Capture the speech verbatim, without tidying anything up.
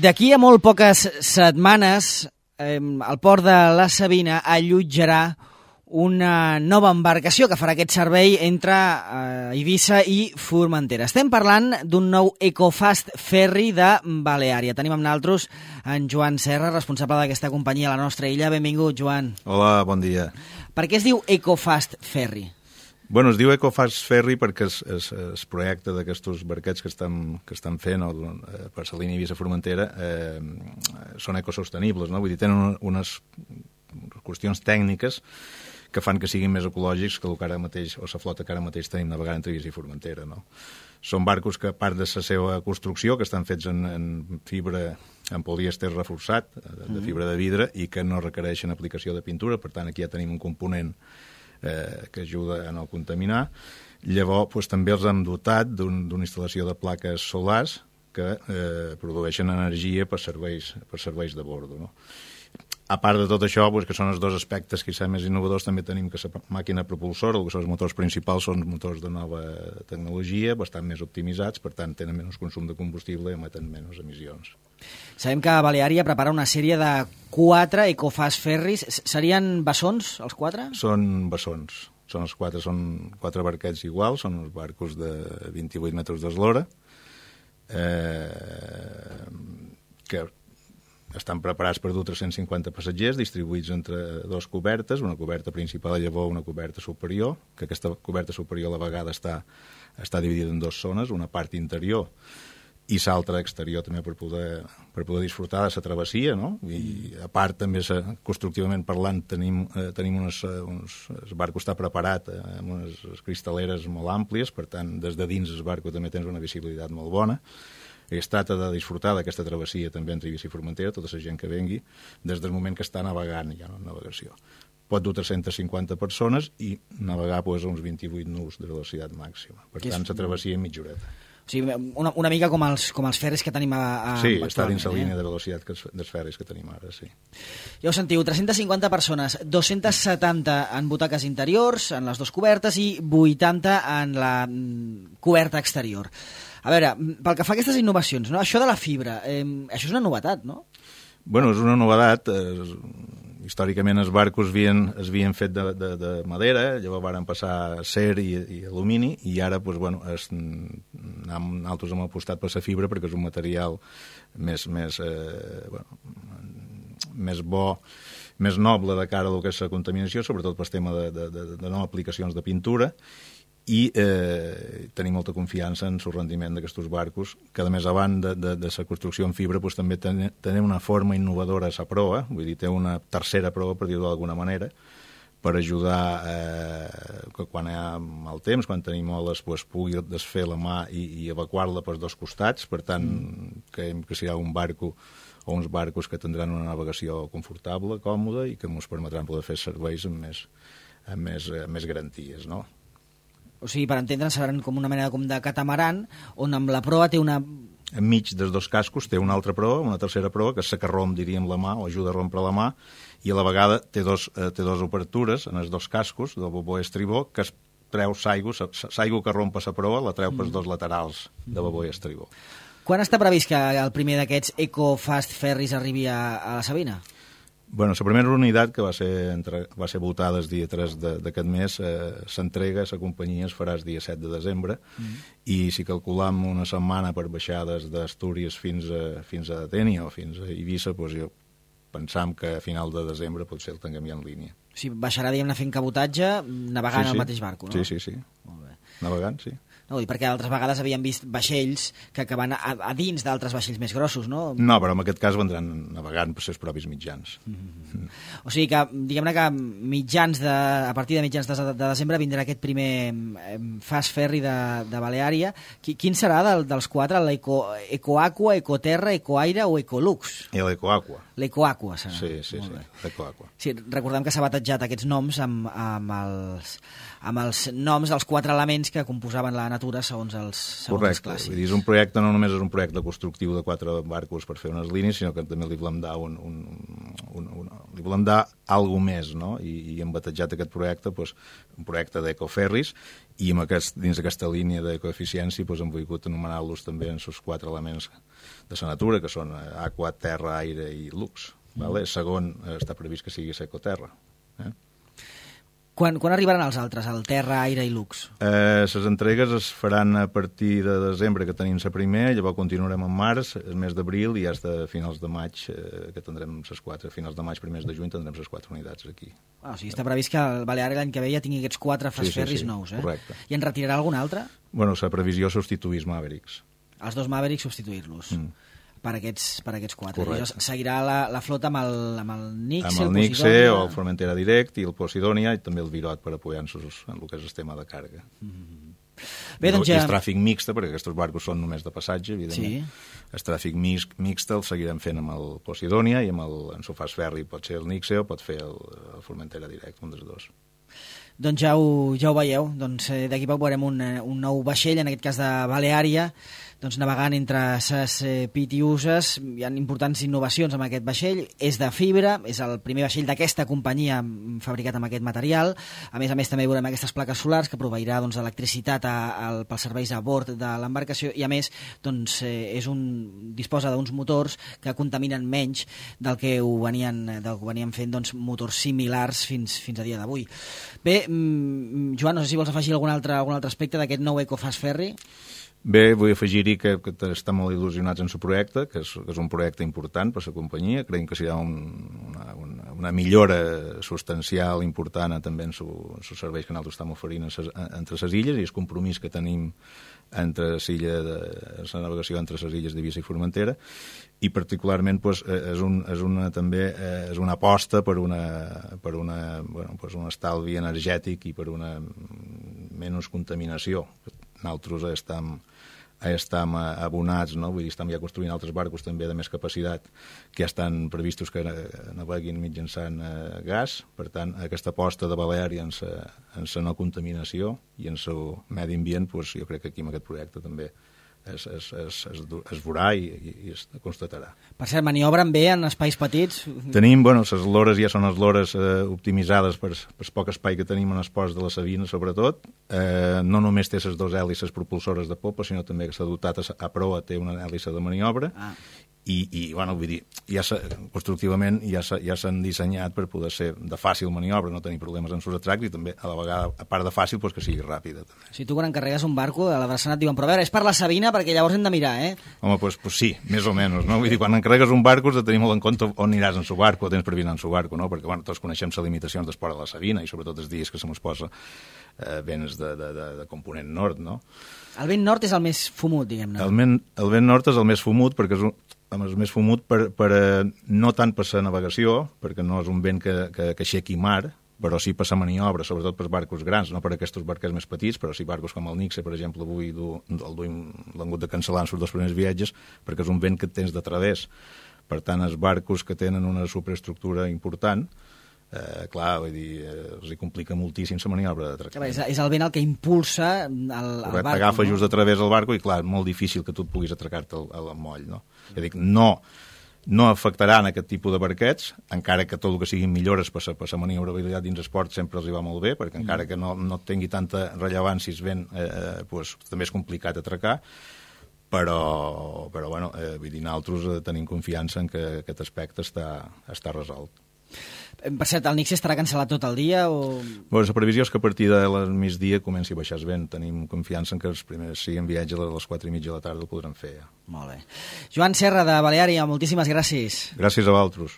D'aquí a molt poques setmanes, eh, el port de la Sabina allotjarà una nova embarcació que farà aquest servei entre eh, Eivissa i Formentera. Estem parlant d'un nou Ecofast Ferry de Baleària. Tenim amb nosaltres en Joan Serra, responsable d'aquesta companyia a la nostra illa. Benvingut, Joan. Hola, bon dia. Per què es diu Ecofast Ferry? Bueno, es diu Ecofast Ferry perquè es, es, es projecta d'aquests barquets que estan, que estan fent o, eh, per la línia Eivissa-Formentera eh, són ecosostenibles, no? Vull dir, tenen unes qüestions tècniques que fan que siguin més ecològics que el que ara mateix, o la flota que ara mateix tenim navegant entre Eivissa i Formentera, no? Són barcos que, a part de la seva construcció, que estan fets en, en fibra, en polièster reforçat, de, de fibra de vidre, i que no requereixen aplicació de pintura, per tant, aquí ja tenim un component eh, que ajuda a no contaminar. Llavors, doncs, també els hem dotat d'una un, instal·lació de plaques solars que eh, produeixen energia per serveis, per serveis de bordo, no? A part de tot això, doncs, que són els dos aspectes que són més innovadors, també tenim que la màquina propulsora, el que són els motors principals, són motors de nova tecnologia, bastant més optimitzats, per tant, tenen menys consum de combustible i emeten menys emissions. Sabem que Baleària prepara una sèrie de quatre Ecofast Ferris. Serien bessons, els quatre? Són bessons. Són els quatre, són quatre barquets iguals, són els barcos de vint-i-vuit metres d'eslora, eh, que estan preparats per dur tres-cents cinquanta passatgers distribuïts entre dues cobertes, una coberta principal a llavor, una coberta superior, que aquesta coberta superior a la vegada està, està dividida en dues zones, una part interior i l'altra exterior també per poder, per poder disfrutar de la travessia, no? I a part també, constructivament parlant, tenim, eh, tenim unes, uns, el barco està preparat amb unes cristaleres molt àmplies, per tant, des de dins el barco també tens una visibilitat molt bona. Es tracta de disfrutar d'aquesta travessia també entre Eivissa i Formentera, tota la gent que vengui, des del moment que està navegant, ja no en navegació. Pot dur tres-centes cinquanta persones i navegar doncs, a uns vint-i-vuit nus de velocitat màxima. Per tant, la travessia en mitja horeta. O sigui, una, una mica com els, com els ferris que tenim a, a sí, està dins la línia de velocitat que dels ferris que tenim ara, sí. Ja ho sentiu, tres-centes cinquanta persones, dos-centes setanta en butaques interiors, en les dues cobertes, i vuitanta en la coberta exterior. A veure, pel que fa a aquestes innovacions, no? Això de la fibra, eh, això és una novetat, no? Bueno, és una novetat. Eh, històricament els barcos havien, es havien fet de, de, de madera, llavors varen passar a acer i, i alumini, i ara, doncs, bueno, es, nosaltres hem apostat per la fibra perquè és un material més, més, eh, bueno, més bo, més noble de cara al que és la contaminació, sobretot pel tema de, de, de, de no aplicacions de pintura, i eh, tenim molta confiança en el rendiment d'aquests barcos, que a més, abans de, de, de la construcció en fibra, doncs, també tenen una forma innovadora a la proa, vull dir, té una tercera proa, per dir-ho d'alguna manera, per ajudar eh, que quan hi ha mal temps, quan tenim oles, doncs, pugui desfer la mà i, i evacuar-la pels dos costats. Per tant, mm. creiem que serà un barco o uns barcos que tindran una navegació confortable, còmoda, i que ens permetran poder fer serveis amb més, amb més, amb més garanties, no? O sigui, per entendre'n, seran com una mena com de catamaran, on amb la proa té una... Enmig dels dos cascos té una altra proa, una tercera proa, que és la que romp, diríem, la mà, o ajuda a rompre la mà, i a la vegada té dos, eh, té dos obertures en els dos cascos, del bobó i estribó, que es treu l'aigua, l'aigua que rompa la proa, la treu pels dos laterals de bobó i estribó. Quan està previst que el primer d'aquests Ecofast Ferris arribi a, a la Sabina? Bueno, la primera unitat, que va ser, entre, va ser votada el dia tres d'aquest mes, eh, s'entrega a la companyia, es farà el dia set de desembre, mm. i si calculam una setmana per baixar des d'Astúries fins a, fins a Dénia o fins a Eivissa, doncs jo pensam que a final de desembre potser el tinguem ja en línia. O sigui, baixarà, diguem-ne, fent cabotatge, navegant sí, sí. al mateix barco, no? Sí, sí, sí. Molt bé. Navegant, sí. No, i perquè altres vegades havíem vist vaixells que, que van a, a dins d'altres vaixells més grossos, no? No, però en aquest cas vendran navegant per els propis mitjans. Mm-hmm. Mm. O sigui que, diguem-ne que mitjans de, a partir de mitjans de, de desembre vindrà aquest primer eh, Fast Ferry de, de Baleària. Qui, quin serà del, dels quatre? L'Eco, Ecoaqua, Ecoterra, Ecoaire o Ecolux? L'Ecoaqua. L'Ecoaqua serà. Sí, sí, sí, l'Ecoaqua. Sí, recordem que s'ha batejat aquests noms amb, amb, els, amb els noms dels quatre elements que composaven la natura segons els, segons Correcte. els clàssics. Vull dir, és un projecte, no només és un projecte constructiu de quatre barcos per fer unes línies, sinó que també li volem dar un, un, un, un, li volem dar alguna més, no? I, i hem batejat aquest projecte, doncs, un projecte d'ecoferris, i amb aquest, dins d'aquesta línia d'ecoeficiència doncs, hem volgut anomenar-los també en els quatre elements de la natura, que són aqua, terra, aire i lux. Mm. Vale? Segon, està previst que sigui secoterra. Eh? Quan, quan arribaran els altres, el terra, aire i lux? Eh, les entregues es faran a partir de desembre, que tenim la primera, llavors continuarem en març, el mes d'abril, i fins a finals de maig, eh, que tindrem les quatre, finals de maig, primers de juny, tindrem les quatre unitats aquí. Ah, o sigui, està previst que el Balear l'any que ve ja tingui aquests quatre fastferris sí, sí, sí, nous, eh? Correcte. I en retirarà algun altre? Bueno, la previsió substituís Mavericks. Els dos Mavericks substituir-los. Mm. Per aquests, per aquests quatre. Correcte. Seguirà la, la flota amb el, amb el Nixe, amb el, el Nixe o el Formentera Direct i el Posidònia i també el Virot per apoyar-nos en el que és el tema de càrrega. Mm-hmm. Bé, doncs ja... I el tràfic mixte, perquè aquests barcos són només de passatge, evidentment. Sí. El tràfic mixt, mixte el seguirem fent amb el Posidònia i amb el, en sofàs ferri pot ser el Nixe o pot fer el, el Formentera Direct, un dels dos. Doncs ja ho, ja ho veieu, doncs, eh, d'aquí poc veurem un, un nou vaixell, en aquest cas de Baleària, doncs, navegant entre ses eh, pitiuses. Hi ha importants innovacions amb aquest vaixell, és de fibra, és el primer vaixell d'aquesta companyia fabricat amb aquest material. A més a més també veurem aquestes plaques solars que proveirà doncs, electricitat a, a, pels serveis a bord de l'embarcació i a més doncs, eh, és un, disposa d'uns motors que contaminen menys del que ho venien, del que ho venien fent doncs, motors similars fins, fins a dia d'avui. Bé, Joan, no sé si vols afegir algun altre, algun altre aspecte d'aquest nou Ecofast Ferry. Bé, vull afegir-hi que, que estan molt il·lusionats en el projecte, que és, que és un projecte important per a la companyia. Creiem que serà un, una, una, una millora substancial, important, també en els serveis que nosaltres estem oferint entre les illes i el compromís que tenim entre l'illa de la navegació entre les illes d'Eivissa i Formentera, i particularment pues, és, un, és una també és una aposta per una per una bueno, pues un estalvi energètic i per una menys contaminació. Nosaltres estem estem abonats, no? Vull dir, estem ja construint altres barcos també de més capacitat que ja estan previstos que naveguin mitjançant eh, gas. Per tant, aquesta aposta de Baleària en sa, en sa no contaminació i en el medi ambient, pues, jo crec que aquí amb aquest projecte també es, es, es, es, es veurà i, i es constatarà. Per cert, maniobren bé en espais petits? Tenim, bueno, les lores ja són les lores eh, optimitzades per el poc espai que tenim en el port de la Sabina, sobretot. Eh, no només té les dues hèlices propulsores de popa, sinó també que s'ha dotat a, a proa, té una hèlice de maniobra. Ah. I, i bueno, vull dir, ja constructivament ja s'han dissenyat per poder ser de fàcil maniobra, no tenir problemes en sus atracs i també, a la vegada, a part de fàcil, pues, que sigui ràpida. També. Si tu quan encarregues un barco, a la Drassanat diuen, però a veure, és per la Sabina, perquè llavors hem de mirar, eh? Home, doncs pues, pues sí, més o menys, no? Vull dir, quan encarregues un barco has de tenir molt en compte on aniràs en su barco, o tens previst en su barco, no? Perquè, bueno, tots coneixem les limitacions d'esport a la Sabina i sobretot els dies que se mos posa eh, vents de, de, de, de component nord, no? El vent nord és el més fumut, diguem-ne. El vent, el vent nord és el més fumut perquè és un, el més fumut per, per, no tant per la navegació, perquè no és un vent que, que, que aixequi mar, però sí per la maniobra, sobretot per barcos grans, no per aquests barquers més petits, però sí barcos com el Nixe, per exemple, avui du, el duim, l'han hagut de cancel·lar en els dos primers viatges, perquè és un vent que tens de través. Per tant, els barcos que tenen una superestructura important, Eh, clar, vull dir, eh, els hi complica moltíssim la maniobra de tractament. És, és el vent el que impulsa el, el barco. T'agafa no? just a través del barco i, clar, és molt difícil que tu et puguis atracar-te al, al moll, no? Mm. Dic, no, no afectaran aquest tipus de barquets, encara que tot el que siguin millores per la maniobrabilitat dins esport sempre els hi va molt bé, perquè mm. encara que no, no tingui tanta rellevància el vent, eh, pues, també és complicat atracar, però, però bueno, eh, vull dir, nosaltres tenim confiança en que aquest aspecte està, està resolt. Per cert, el Nixe estarà cancel·lat tot el dia? O... Bueno, la previsió és que a partir de la migdia comenci a baixar el vent. Tenim confiança en que els primers siguin viatge a les quatre i mitja de la tarda ho podrem fer ja. Molt bé. Joan Serra, de Baleària, moltíssimes gràcies. Gràcies a vosaltres.